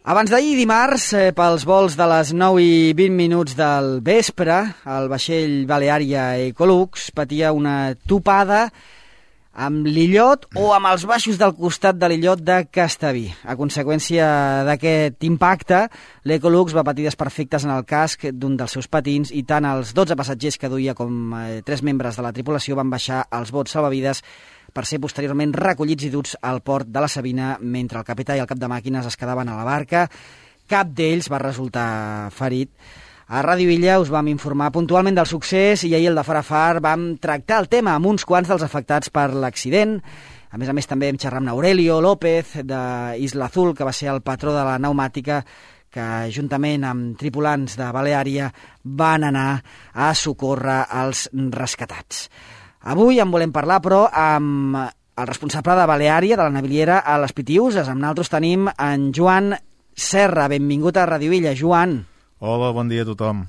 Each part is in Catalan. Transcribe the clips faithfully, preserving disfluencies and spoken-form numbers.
Abans d'ahir dimarts, eh, pels vols de les nou i vint minuts del vespre, el vaixell Baleària Ecolux patia una topada amb l'illot o amb els baixos del costat de l'illot de Castellví. A conseqüència d'aquest impacte, l'Ecolux va patir desperfectes en el casc d'un dels seus patins i tant els dotze passatgers que duia com eh, tres membres de la tripulació van baixar als bots salvavides per ser posteriorment recollits i duts al port de la Sabina mentre el capità i el cap de màquines es quedaven a la barca. Cap d'ells va resultar ferit. A Ràdio Illa us vam informar puntualment del succés i ahir el de Far a Far vam tractar el tema amb uns quants dels afectats per l'accident. A més a més també hem xerrat amb Aurelio López de Isla Azul, que va ser el patró de la pneumàtica que juntament amb tripulants de Baleària van anar a socórrer els rescatats. Avui en volem parlar, però, amb el responsable de Baleària, de la naviliera a les Pitiüses. Amb nosaltres tenim en Joan Serra. Benvingut a Ràdio Illa, Joan. Hola, bon dia a tothom.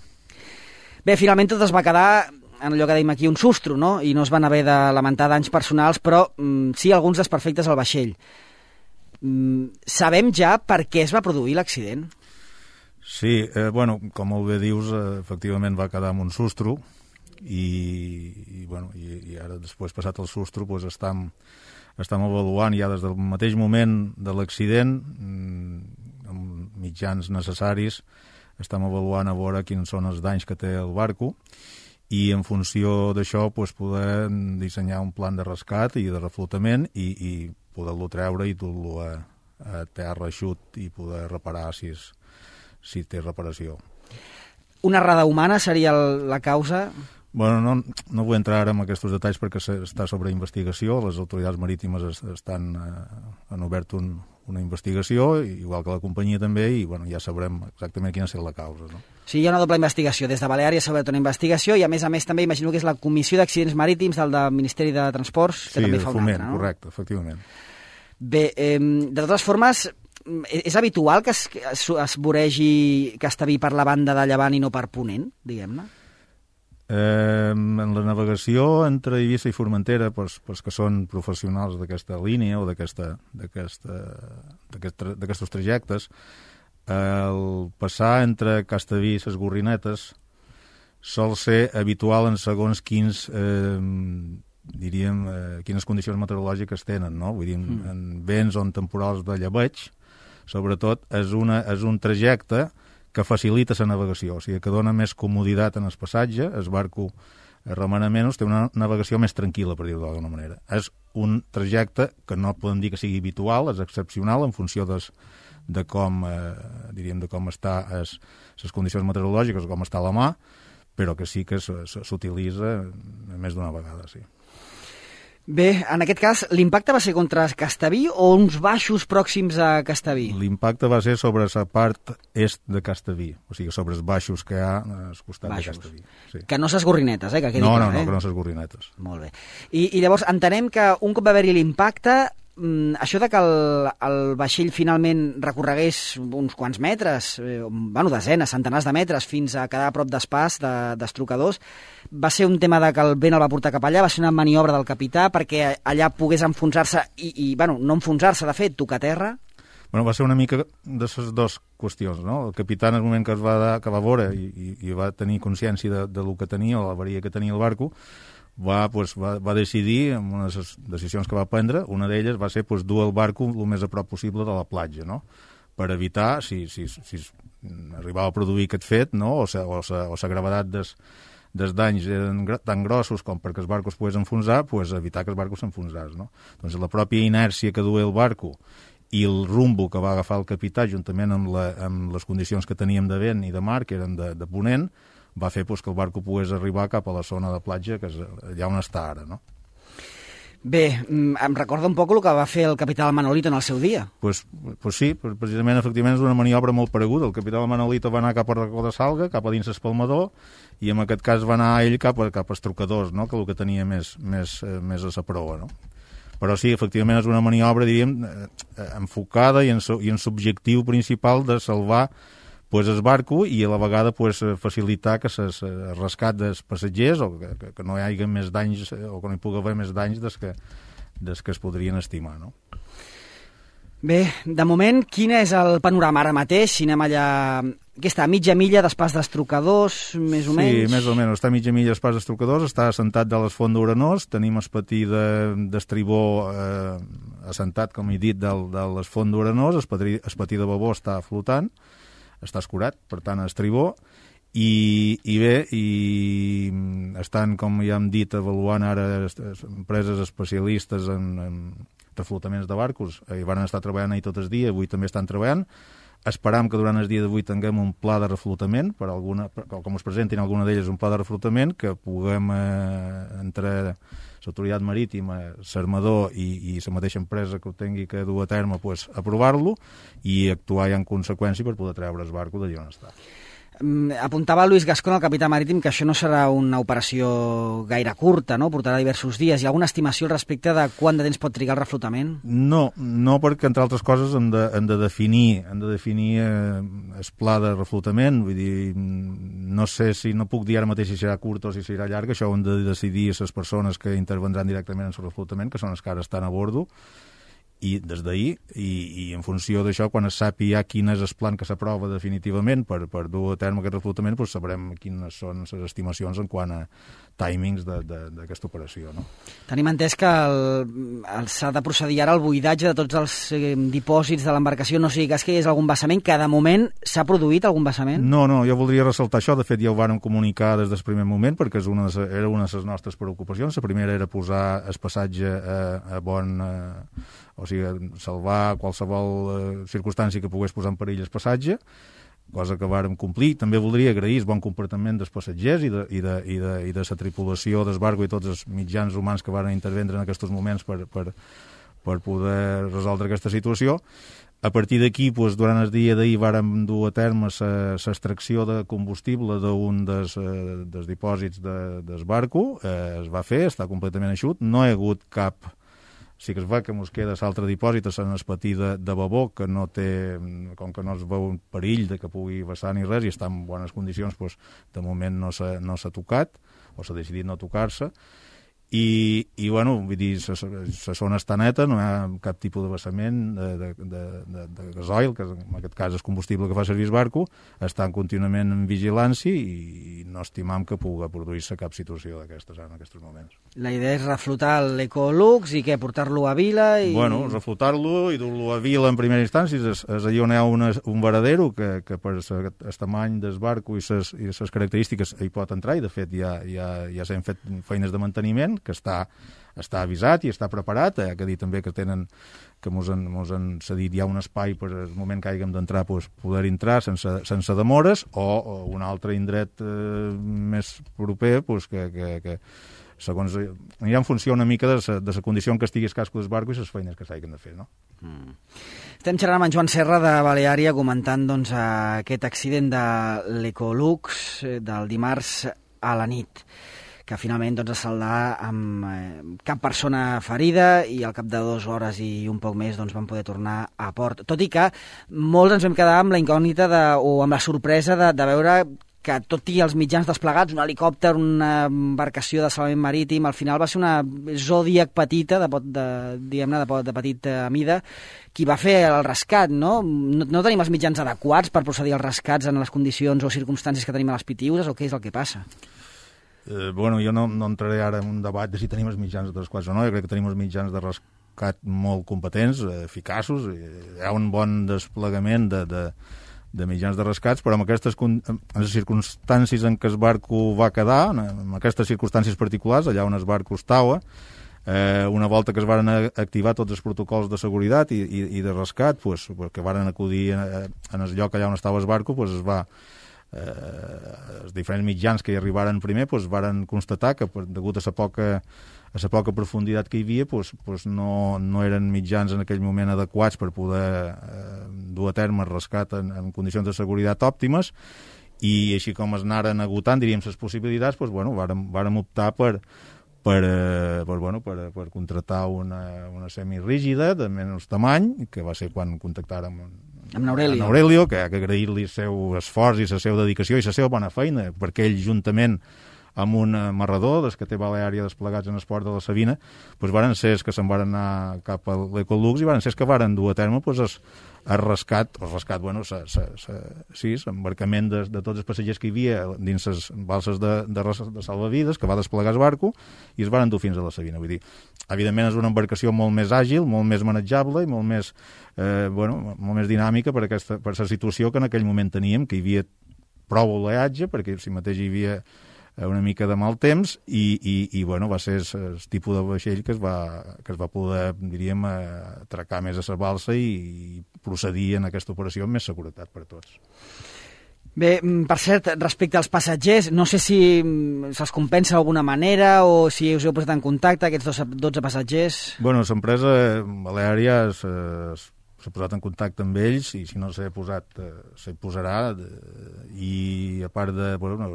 Bé, finalment tot es va quedar en allò que dèiem aquí, un sustro, no? I no es van haver de lamentar danys personals, però mm, sí alguns desperfectes al vaixell. Mm, sabem ja per què es va produir l'accident? Sí, eh, bueno, com molt bé dius, eh, efectivament va quedar amb un sustro, i, i, bueno, i, i ara després passat el sustro doncs estem, estem avaluant ja des del mateix moment de l'accident amb mitjans necessaris, estem avaluant a veure quins són els danys que té el barco i en funció d'això doncs, poder dissenyar un plan de rescat i de reflotament i, i poder-lo treure i dur-lo a, a terra eixut i poder reparar si, és, si té reparació. Una errada humana seria el, la causa? Bueno, no, no vull entrar ara en aquests detalls perquè està sobre investigació. Les autoritats marítimes estan, eh, han obert un, una investigació, igual que la companyia també, i bueno, ja sabrem exactament quina és la causa. No? Sí, hi ha una doble investigació. Des de Baleària s'ha obert una investigació i, a més a més, també imagino que és la Comissió d'Accidents Marítims del, del Ministeri de Transports, que sí, també fa una foment, altra, no? Correcte, efectivament. Bé, eh, de totes formes, és habitual que es, es, es voregi Castellví per la banda de llevant i no per ponent, diguem-ne? Eh, en la navegació entre Eivissa i Formentera, pues, pues que són professionals d'aquesta línia o d'aquestos trajectes, el passar entre Castellví i les Gorrinetes sol ser habitual en segons quins, eh, diríem, eh, quines condicions meteorològiques tenen, no? Vull dir, mm. en vents o en temporals de llebeig, sobretot, és, una, és un trajecte que facilita la navegació, o sigui, que dona més comoditat en el passatge, el barco remena menys, té una navegació més tranquil·la, per dir-ho d'alguna manera. És un trajecte que no podem dir que sigui habitual, és excepcional en funció des, de com, eh, diríem, de com està les condicions meteorològiques o com està la mà, però que sí que s'utilitza més d'una vegada, sí. Bé, en aquest cas, l'impacte va ser contra Castellví o uns baixos pròxims a Castellví? L'impacte va ser sobre la part est de Castellví, o sigui, sobre els baixos que hi ha al costat baixos. de Castellví. Sí. Que no ses gorrinetes, eh? Que quedi no, clar, no, no, eh? que no ses gorrinetes. Molt bé. I, I llavors entenem que un cop va haver-hi l'impacte, això de que el, el vaixell finalment recorregués uns quants metres, eh, bueno, desenes, centenars de metres, fins a quedar a prop d'espàs, de, d'estrocadors, va ser un tema de que el vent el va portar cap allà, va ser una maniobra del capità perquè allà pogués enfonsar-se i, i bueno, no enfonsar-se, de fet, tocar terra? Bueno, va ser una mica de les dues qüestions, no? El capità, en el moment que es va, que va veure i, i, i va tenir consciència de, de lo que tenia, o l'avaria que tenia el barco, va, pues, va, va decidir, amb unes decisions que va prendre, una d'elles va ser pues, dur el barco el més a prop possible de la platja, no? Per evitar, si, si, si arribava a produir aquest fet, no? o la o o o gravetat des, dels danys eren tan grossos com perquè el barco es pogués enfonsar, pues, evitar que el barco s'enfonsés. No? Doncs la pròpia inèrcia que duia el barco i el rumbo que va agafar el capità, juntament amb, la, amb les condicions que teníem de vent i de mar, que eren de, de ponent, va fer pues, que el barco pogués arribar cap a la zona de platja, que és allà on està ara, no? Bé, em recorda un poc el que va fer el capità Manolito en el seu dia. Pues, pues sí, precisament, efectivament, és una maniobra molt pareguda. El capità Manolito va anar cap a Racó de Salga, cap a dins l'espalmador, i en aquest cas va anar ell cap a, cap a Estrocadors, no? Que el que tenia més, més, més a la proa, no? Però sí, efectivament, és una maniobra, diríem, enfocada i en, i en l'objectiu principal de salvar pues, el barco i a la vegada pues, facilitar que el rescat dels passatgers o que, que, que no hi hagi més danys o que no hi pugui haver més danys des que, des que es podrien estimar, no? Bé, de moment, quin és el panorama ara mateix? Si anem allà... Què està, a mitja milla d'Espàs d'Estrocadors, més o menys? Sí, més o menys. Està a mitja milla d'Espàs d'Estrocadors, està assentat de les Font d'Urenós, tenim el patí d'Estribó eh, assentat, com he dit, de, de les Font d'Urenós, el patí, el patí de Babó està flotant, està escurat, per tant, a Estribó, i, i bé, i estan, com ja hem dit, avaluant ara empreses especialistes en, en reflotaments de barcos, i van estar treballant ahir tot el dia, avui també estan treballant. Esperam que durant el dia d'avui tinguem un pla de reflotament, per alguna, per, com us presentin alguna d'elles un pla de reflotament, que puguem, eh, entre l'autoritat marítima, l'armador i, i la mateixa empresa que ho tingui que dur a terme, pues, aprovar-lo i actuar ja en conseqüència per poder treure el barco d'allà on està. Apuntava Luis Gascón, el capità marítim, que això no serà una operació gaire curta, no? Portarà diversos dies. Hi ha alguna estimació al respecte de quant de temps pot trigar el reflotament? No, no, perquè, entre altres coses, hem de, hem de definir, hem de definir eh, el pla de reflotament. Vull dir, no sé si, no puc dir ara mateix si serà curt o si serà llarg, això ho han de decidir les persones que intervendran directament en el reflotament, que són els que ara estan a bordo, i des d'ahir, i, i en funció d'això, quan es sàpiga quin és el plan que s'aprova definitivament per, per dur a terme aquest reflotament, doncs sabrem quines són les estimacions en quant a timings d'aquesta operació. No? Tenim entès que s'ha de procedir ara al buidatge de tots els eh, dipòsits de l'embarcació, no sigui cas que hi hagués algun vessament, que de moment s'ha produït algun vessament? No, no, jo voldria ressaltar això, de fet ja ho vàrem comunicar des del primer moment, perquè és una de, era una de les nostres preocupacions. La primera era posar el passatge a, a bon... A, o sigui, salvar qualsevol eh, circumstància que pogués posar en perill el passatge, cosa que vàrem complir. També voldria agrair el bon comportament dels passatgers i de, i de, i de, i de la tripulació del barco i tots els mitjans humans que varen intervendre en aquests moments per, per, per poder resoldre aquesta situació. A partir d'aquí, doncs, durant el dia d'ahir vàrem dur a terme l'extracció de combustible d'un dels, eh, dels dipòsits de, del barco. Eh, es va fer, està completament eixut, no hi ha hagut cap... Sí que es va que ens queda l'altre dipòsit en el patí de, de Babó, que no té, com que no es veu un perill de que pugui vessar ni res i està en bones condicions, doncs, de moment no s'ha no s'ha tocat, o s'ha decidit no tocar-se. I, i bueno, vull dir, la zona està neta, no hi ha cap tipus de vessament de, de, de, de, de gasoil, que en aquest cas és combustible que fa servir el barco, està contínuament en vigilància i no estimam que pugui produir-se cap situació d'aquestes en aquests moments. La idea és reflotar l'Ecolux i què, portar-lo a Vila? I... Bueno, reflotar-lo i dur-lo a Vila en primera instància, és, és allà on hi ha una, un varadero que, que per el tamany del barco i les característiques hi pot entrar, i de fet ja, ja, ja s'han fet feines de manteniment, que està, està avisat i està preparat. Hi ha que dir també que tenen que mos han, mos han cedit ja un espai per el moment que hàgim d'entrar, pues, poder entrar sense, sense demores, o, o un altre indret eh, més proper, pues, que, que, que segons anirà en funció una mica de la condició en què estigui el casco del barco i les feines que s'hagin de fer, no? Mm. Estem xerrant amb en Joan Serra de Baleària, comentant doncs, aquest accident de l'Ecolux del dimarts a la nit, que finalment doncs, es saldrà amb eh, cap persona ferida i al cap de dues hores i un poc més doncs, van poder tornar a port. Tot i que molts ens vam quedar amb la incògnita de, o amb la sorpresa de, de veure que tot i els mitjans desplegats, un helicòpter, una embarcació de salvament marítim, al final va ser una Zodiac petita, de, de, diguem-ne, de, de petita mida, qui va fer el rescat, no? no? No tenim els mitjans adequats per procedir als rescats en les condicions o circumstàncies que tenim a les Pitiüses, o què és el que passa? Eh, bueno, jo no, no entraré ara en un debat de si tenim els mitjans adequats o no. Jo crec que tenim els mitjans de rescat molt competents, eh, eficaços, hi ha un bon desplegament de, de, de mitjans de rescats, però amb aquestes en les circumstàncies en què el barco va quedar, en aquestes circumstàncies particulars, allà on el barco estava, eh, una volta que es van activar tots els protocols de seguretat i, i, i de rescat, pues, que van acudir en, en el lloc allà on estava el barco, pues, es va... Eh, els diferents mitjans que hi arribaren primer pues, varen constatar que, degut a la poca, a la poca profunditat que hi havia, pues, pues no, no eren mitjans en aquell moment adequats per poder eh, dur a terme el rescat en, en condicions de seguretat òptimes, i així com es anaren agotant, diríem, les possibilitats, pues, bueno, vàrem, vàrem optar per, per, eh, per, bueno, per, per contractar una, una semirígida de menys tamany, que va ser quan contactàrem amb n'Aurelio. N'Aurelio, que ha que agrair-li el seu esforç i la seva dedicació i la seva bona feina, perquè ell, juntament amb un marrador, des que té Baleària desplegats en esport de la Sabina, doncs varen ser els que se'n varen anar cap a l'Ecolux i varen ser els que varen dur a terme doncs, es, el rescat, el rescat, bueno, sa, sa, sa, sí, l'embarcament de, de tots els passatgers que hi havia dins les balses de, de, de salvavides, que va desplegar el barco, i es varen dur fins a la Sabina. Vull dir, evidentment és una embarcació molt més àgil, molt més manejable i molt més, eh, bueno, molt més dinàmica per aquesta per la situació que en aquell moment teníem, que hi havia prou oleatge, perquè si mateix hi havia una mica de mal temps i, i, i bueno, va ser el tipus de vaixell que es va, que es va poder, diríem, atracar més a la balsa i, i procedir en aquesta operació amb més seguretat per tots. Bé, per cert, respecte als passatgers, no sé si se'ls compensa d'alguna manera o si us heu posat en contacte, aquests dotze passatgers. Bueno, l'empresa Baleària es, es s'ha posat en contacte amb ells i si no s'ha posat, eh, s'hi posarà de, i a part de, bueno,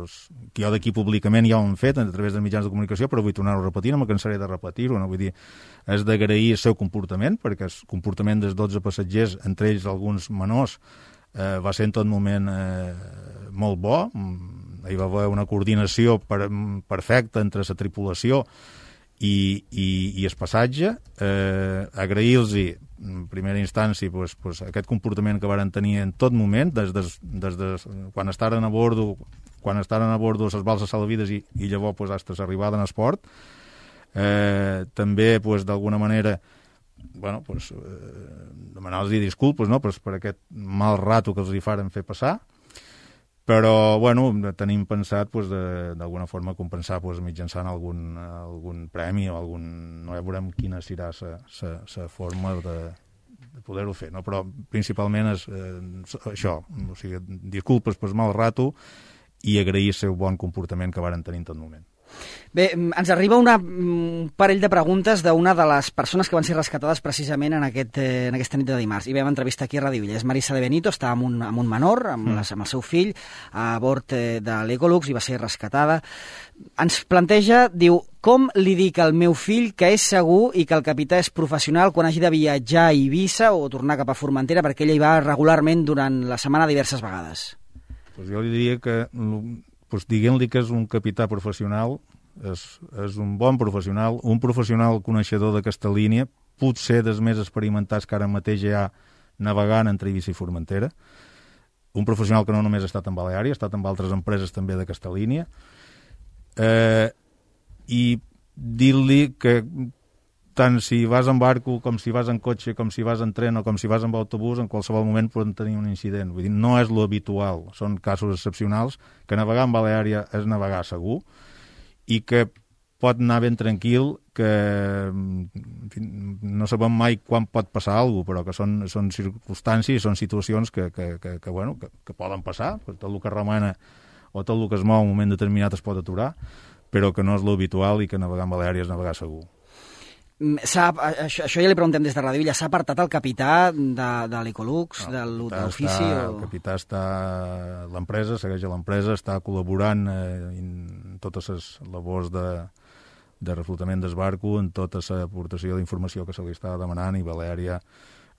que jo d'aquí públicament ja ho hem fet a través dels mitjans de comunicació, però vull tornar-ho a repetir, no me cansaré de repetir-ho, no? Vull dir, és d'agrair el seu comportament, perquè el comportament dels dotze passatgers, entre ells alguns menors, eh, va ser en tot moment eh, molt bo, hi va haver una coordinació per, perfecta entre la tripulació i, i, i el passatge, eh, agrair-los en primera instància pues, pues, aquest comportament que varen tenir en tot moment, des de, des de quan estaren a bordo, quan estaren a bordo les balses salvavides i, i llavors pues, fins a l'arribada en esport. Eh, també, pues, d'alguna manera, bueno, pues, eh, demanar-los disculpes, no?, pues, per aquest mal rato que els hi faren fer passar, però bueno, tenim pensat pues, d'alguna forma compensar pues, mitjançant algun, algun premi o algun... no ja veurem quina serà la forma de, de poder-ho fer, no? Però principalment és eh, això, o sigui, disculpes per mal rato i agrair el seu bon comportament que varen tenir en tot moment. Bé, ens arriba una, un parell de preguntes d'una de les persones que van ser rescatades precisament en, aquest, eh, en aquesta nit de dimarts. I vam entrevistar aquí a Ràdio Illa. És Marisa de Benito, està amb un, amb un menor, amb, mm. les, amb el seu fill, a bord eh, de l'Ecolux i va ser rescatada. Ens planteja, diu, com li dic al meu fill que és segur i que el capità és professional quan hagi de viatjar a Eivissa o tornar cap a Formentera, perquè ella hi va regularment durant la setmana diverses vegades? Pues jo li diria que... Pues diguem-li que és un capità professional, és, és un bon professional, un professional coneixedor d'aquesta línia, potser dels més experimentats que ara mateix hi ha navegant entre Eivissa i Formentera, un professional que no només ha estat en Baleària, ha estat en altres empreses també d'aquesta línia, eh, i dir-li que tant si vas en barco, com si vas en cotxe, com si vas en tren o com si vas en autobús, en qualsevol moment poden tenir un incident. Vull dir, no és lo habitual, són casos excepcionals, que navegar en Baleària és navegar segur i que pot anar ben tranquil, que en fi, no sabem mai quan pot passar alguna cosa, però que són, són circumstàncies, són situacions que, que, que, que, bueno, que, que poden passar, tot el que remena o tot el que es mou en un moment determinat es pot aturar, però que no és lo habitual i que navegar en Baleària és navegar segur. Això, això ja li preguntem des de Ràdio Illa. S'ha apartat el capità de, de l'Ecolux, no, de l'ofici? O... El capità està... L'empresa, segueix a l'empresa, està col·laborant eh, en totes les labors de, de reflotament del barco, en tota l'aportació d'informació que se li està demanant, i Baleària,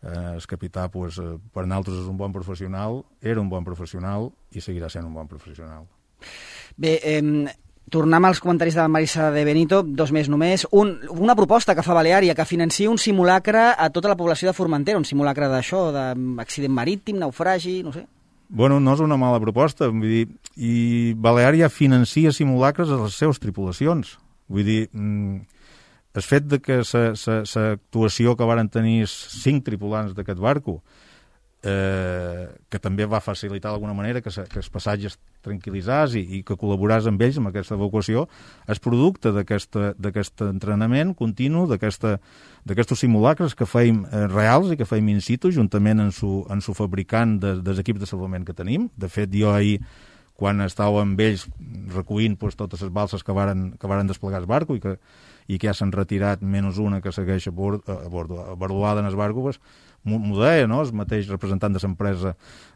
eh, el capità, pues, per nosaltres és un bon professional, era un bon professional i seguirà sent un bon professional. Bé, eh... tornem als comentaris de Marisa de Benito, dos més només. Un, una proposta que fa Baleària, que financi un simulacre a tota la població de Formentera, un simulacre d'això, d'accident marítim, naufragi, no sé. Bueno, no és una mala proposta, vull dir, i Baleària financia simulacres a les seves tripulacions. Vull dir, el fet de que l'actuació que varen tenir cinc tripulants d'aquest barco, eh, que també va facilitar d'alguna manera que, que els passatges tranquil·litzars i, i que col·laboràs amb ells amb aquesta evacuació, és producte d'aquest entrenament continu, d'aquests simulacres que feim eh, reals i que feim in situ, juntament amb su, amb su fabricant de, dels equips de salvament que tenim. De fet, jo ahir, quan estava amb ells recollint pues, totes les balses que varen, que varen desplegar el barco i que, i que ja s'han retirat menys una que segueix a bord, a bord, a barulada en el barco, pues, m'ho deia, no?, el mateix representant de l'empresa.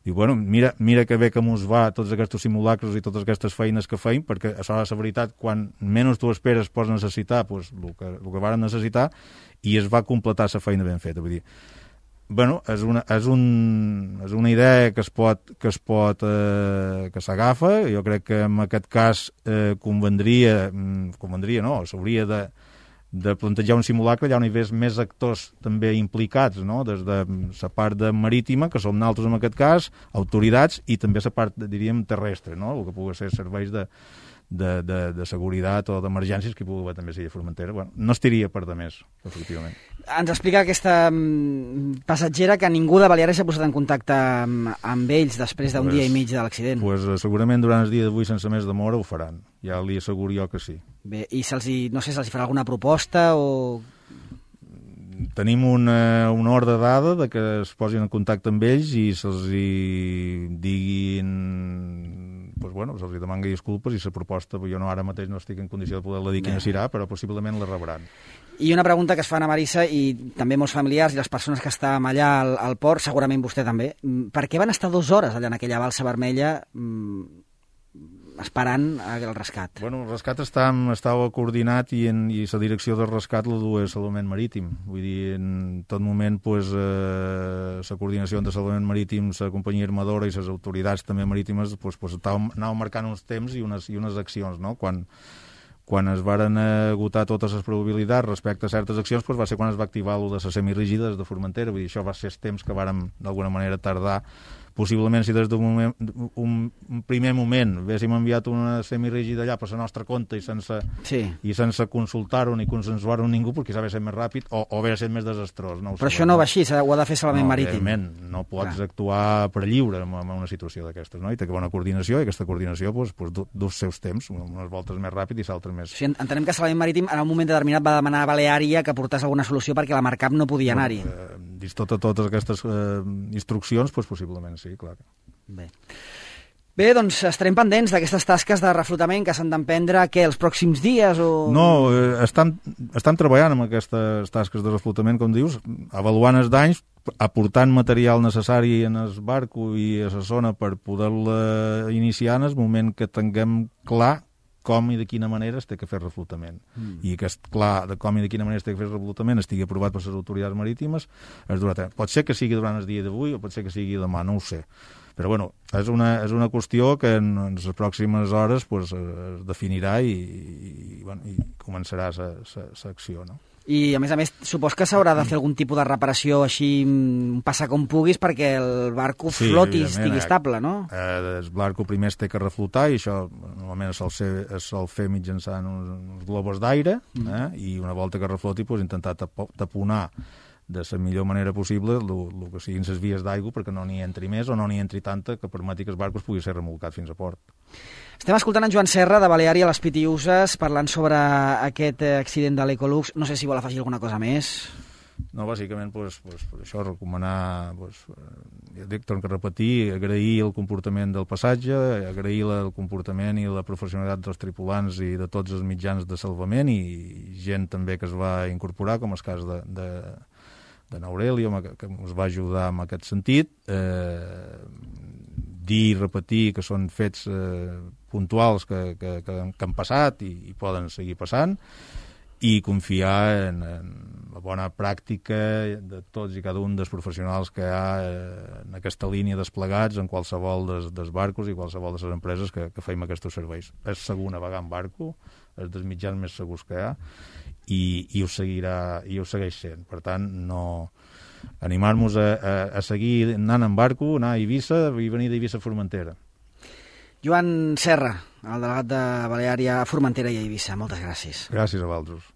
Diu, bueno, mira, mira que bé que mos va tots aquests simulacres i totes aquestes feines que feim, perquè això és la veritat, quan menys tu esperes pots necessitar pues, el, que, el que varen necessitar, i es va completar la feina ben feta. Vull dir, bueno, és una, és, un, és una idea que es pot, que es pot, eh, que s'agafa. Jo crec que en aquest cas eh, convendria, convendria, no, s'hauria de, de plantejar un simulacre allà on hi hagués més actors també implicats, no? Des de la part de marítima, que som nosaltres en aquest cas, autoritats, i també la part, diríem, terrestre, no? El que pugui ser serveis de, de, de, de seguretat o d'emergències que hi pugui haver també a Silla Formentera. Bueno, no estiria per de més, efectivament. Ens explica aquesta passatgera que ningú de Balears s'ha posat en contacte amb, amb ells després d'un pues, dia i mig de l'accident. Pues, segurament durant el dia d'avui, sense més demora, ho faran. Ja li asseguro jo que sí. Bé, i se'ls, no sé, se'ls farà alguna proposta o... Tenim una, una ordre dada de que es posin en contacte amb ells i se'ls hi diguin... Pues bueno, se'ls hi demangui disculpes i la proposta, jo no ara mateix no estic en condició de poder-la dir quina serà, però possiblement la rebran. I una pregunta que es fan a Marissa i també molts familiars i les persones que estàvem allà al, al port, segurament vostè també, per què van estar dues hores allà en aquella balsa vermella mmm, esperant el rescat? Bueno, el rescat està, estava coordinat i, en, i la direcció del rescat la duia Salvament Marítim. Vull dir, en tot moment pues, eh, la coordinació entre Salvament Marítim, la companyia armadora i les autoritats també marítimes pues, pues, anàvem marcant uns temps i unes, i unes accions, no? Quan quan es varen agotar totes les probabilitats respecte a certes accions, doncs va ser quan es va activar el de les semirígides de Formentera. Vull dir, això va ser el temps que vàrem d'alguna manera tardar. Possiblement, si des d'un moment, un, un primer moment haguéssim enviat una semirígida allà per la nostra compte i sense, sí. i sense consultar-ho ni consensuar-ho amb ningú, perquè s'ha de ser més ràpid o, o hauria de ser més desastrós. No Però això no va així, ho ha de fer Salvament no, Marítim. No pots Clar. actuar per lliure en una situació d'aquestes, no? I té que bona coordinació, i aquesta coordinació doncs, doncs, du, du seus temps, unes voltes més ràpid i l'altres més... O sigui, entenem que Salvament Marítim en un moment determinat va demanar a Baleària que portés alguna solució perquè la Marcap no podia anar-hi. Bueno, eh, dins tota, totes aquestes eh, instruccions, doncs, possiblement sí, clar. Bé. Bé, doncs estarem pendents d'aquestes tasques de reflotament que s'han d'emprendre, què, els pròxims dies o...? No, eh, estan, estan treballant amb aquestes tasques de reflotament, com dius, avaluant els danys, aportant material necessari en el barco i a la zona per poder-la iniciar en el moment que tinguem clar com i de quina manera es té que fer reflotament. Mm. I que, clar, de com i de quina manera es té que fer reflotament estigui aprovat per les autoritats marítimes, es durà a terme. Pot ser que sigui durant el dia d'avui o pot ser que sigui demà, no ho sé. Però, bueno, és una, és una qüestió que en, en les pròximes hores pues, es definirà i, i, bueno, i començarà l'acció, no? I, a més a més, supos que s'haurà de fer algun tipus de reparació així, passar com puguis, perquè el barco sí, floti, estigui estable, no? Eh, el barco primer es té que reflotar, i això normalment es sol, ser, es sol fer mitjançant uns, uns globus d'aire, mm. eh, i una volta que refloti, pues, intentar taponar de la millor manera possible el que siguin les vies d'aigua perquè no n'hi entri més o no n'hi entri tanta que permeti que els barcos pugui ser remolcat fins a port. Estem escoltant en Joan Serra, de Baleària, a les Pitiuses, parlant sobre aquest accident de l'Ecolux. No sé si vol afegir alguna cosa més. No, bàsicament, pues, pues, per això recomanar, pues, ja dic, torno a repetir, agrair el comportament del passatge, agrair el comportament i la professionalitat dels tripulants i de tots els mitjans de salvament i gent també que es va incorporar, com el cas de, de, de n'Aurelio, que, que ens va ajudar en aquest sentit. Eh, dir i repetir que són fets eh, puntuals que, que, que, que han passat i, i poden seguir passant, i confiar en, en la bona pràctica de tots i cada un dels professionals que hi ha eh, en aquesta línia desplegats en qualsevol dels, dels barcos i qualsevol de les empreses que, que feim aquests serveis. És segur navegar en barco, és dels mitjans més segurs que hi ha, i, i, ho, seguirà, i ho segueix sent. Per tant, no... animar-nos a, a, a seguir anant en barco, anar a Eivissa i venir d'Eivissa a Formentera. Joan Serra, el delegat de Baleària a Formentera i a Eivissa. Moltes gràcies. Gràcies a vosaltres.